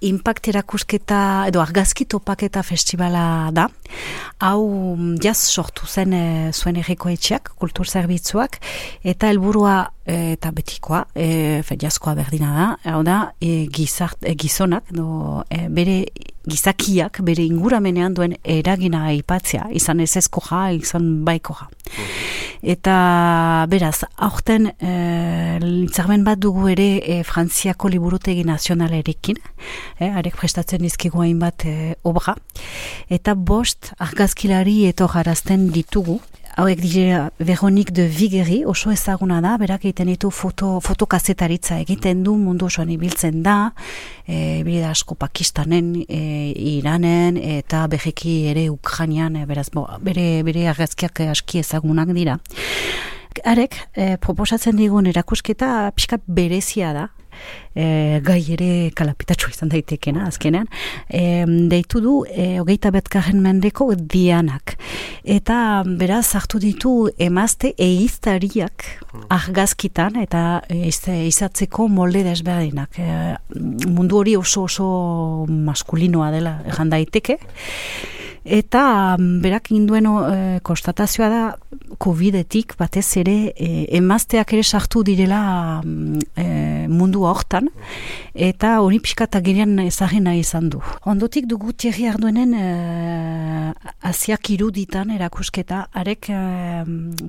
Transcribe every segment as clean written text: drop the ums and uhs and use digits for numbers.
Impact erakusketa edo argazki topaketa festivala da. Hau jaz sortu zen zuen herriko etxeak, kultur zerbitzuak, eta helburua eta betikoa, jazkoa berdina da, hau da, gizonak, bere gizakiak, bere inguramenean duen eragina aipatzea, izan ez ezkoja, izan baikoja. Eta beraz, aurten hitzarmen bat dugu ere Frantziako liburutegi nazionalerekin, arek prestatzen dizkigu hainbat obra, eta 5 argazkilari etorrarazten ditugu. Hauek dira Veronique de Viguerie, oso ezaguna da, berak egiten ditu fotokazetaritza egiten du, mundu osoan ibiltzen da, bilida asko Pakistanen, Iranen, eta berriki ere Ukrainian, beraz, bere argazkiak aski ezagunak dira. Arek, proposatzen digun erakusketa pixkat berezia da, gai ere kalapitatxo izan daitekena azkenean, deitu du 21. mendeko Dianak, eta beraz hartu ditu emazte ehiztariak argazkitan eta izatzeko molde desberdinak, mundu hori oso maskulinoa dela erran daiteke. Eta berak induen konstatazioa da Covidetik batez ere emazteak ere sartu direla mundu hortan, eta hori pixkat agerian ezagena izan du. Ondotik dugu Thierry Arduenen Asiak iruditan erakusketa, arek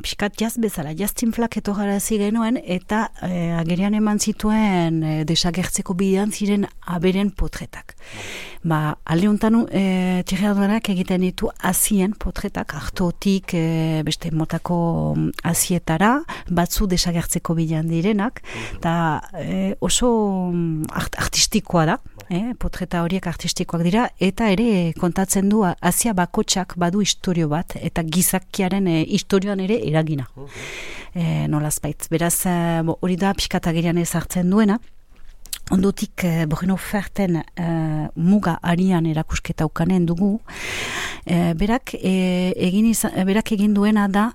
pixkat jaz bezala, jaztinflak etorgarazi genuen, eta agerian eman zituen desagertzeko bidean ziren aberen potretak. Alde honetan Thierry Arduenak egiten ditu azien potretak, hartotik beste motako azietara, batzu desagertzeko bidean direnak, eta oso artistikoa da, potreta horiek artistikoak dira, eta ere kontatzen du azia bakotxak badu istorio bat, eta gizakiaren istorioan ere eragina. Nolazbait. Beraz, hori da pixkatagerian ez hartzen duena. Ondotik Bruno Ferten muga arian erakusketa ukanen dugu. Berak egin duena da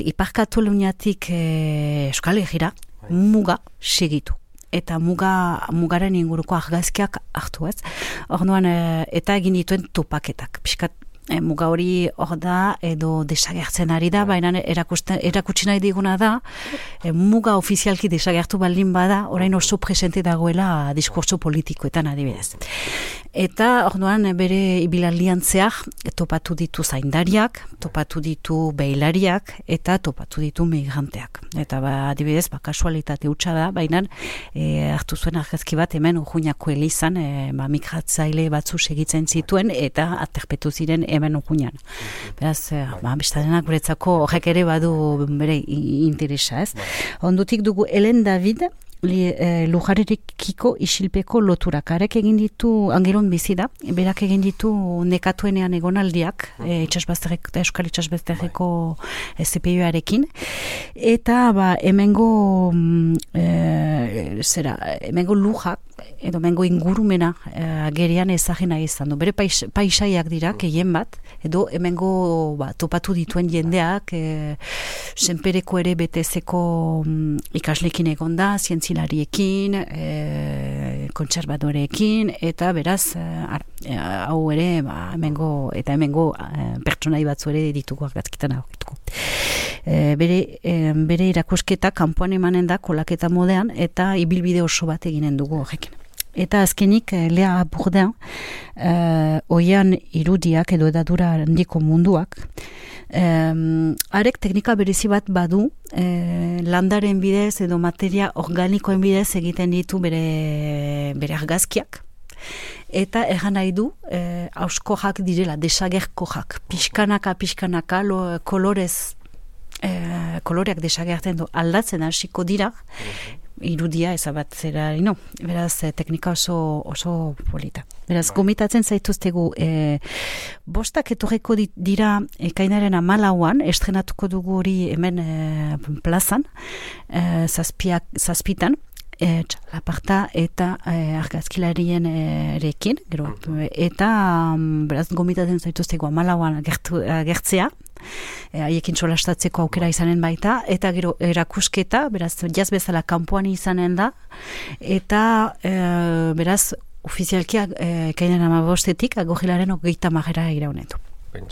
Ipar Kataluniatik Euskal Herrira muga segitu. Eta mugaren inguruko argazkiak hartu ez. Orduan, eta egin dituen topaketak. Piskat muga hori hor da edo desagertzen ari da, baina erakutsi nahi diguna da, muga ofizialki desagertu baldin bada, orain oso presente dagoela diskurtso politikoetan adibidez. Eta orduan bere ibilaldian zehar topatu ditu zaindariak, topatu ditu beilariak, eta topatu ditu migranteak. Eta adibidez, kasualitate hutsa da, baina hartu zuen argazki bat hemen Urruñako elizan, migratzaile batzu segitzen zituen, eta aterpetu ziren hemen Urruñan. Beraz, bestadenak guretzako horrek ere badu bere interesa, ez? Ondutik dugu Helen David, lujarekiko isilpeko loturak. Arek egin ditu, Angelon bizi da, berak egin ditu nekatuenean egonaldiak, Euskal Itxasbazterreko CPU-arekin, eta hemengo lujak, edo hemengo ingurumena agerian ezagena izan du. Bere paisaiak dira, gehien bat, edo hemengo topatu dituen jendeak, senpereko ere BTZ-ko ikaslekin egon da, zientzilariekin, kontserbadoreekin, eta beraz, hau ere, hemengo pertsonai batzu ere ditugu argazkitan aurkituko. Bere irakusketa kanpoan emanen da kolaketa modean, eta ibilbide oso bat eginen dugu horrekin. Eta azkenik Lea Bourdin, oian irudiak edo edadura handiko munduak, arek teknika berezi bat badu, landaren bidez edo materia organikoen bidez egiten ditu bere argazkiak, eta erran nahi du auskojak direla, desagerkojak, pixkanaka koloreak desagertzen du aldatzen hasiko dira, irudia ezabatzera, beraz teknika oso polita. Beraz, gomitatzen zaituztegu, 5 etorreko dira ekainaren 14an, estrenatuko dugu hori hemen plazan, 7 zazpitan, txalaparta eta argazkilarien erekin, gero, eta beraz gomitatzen zaituzteko 14an agertzea, haiekin solastatzeko aukera izanen baita, eta gero erakusketa, beraz jaz bezala kanpoan izanen da, eta beraz ofizialki ekainaren 15etik agogilaren 30 iraunetu.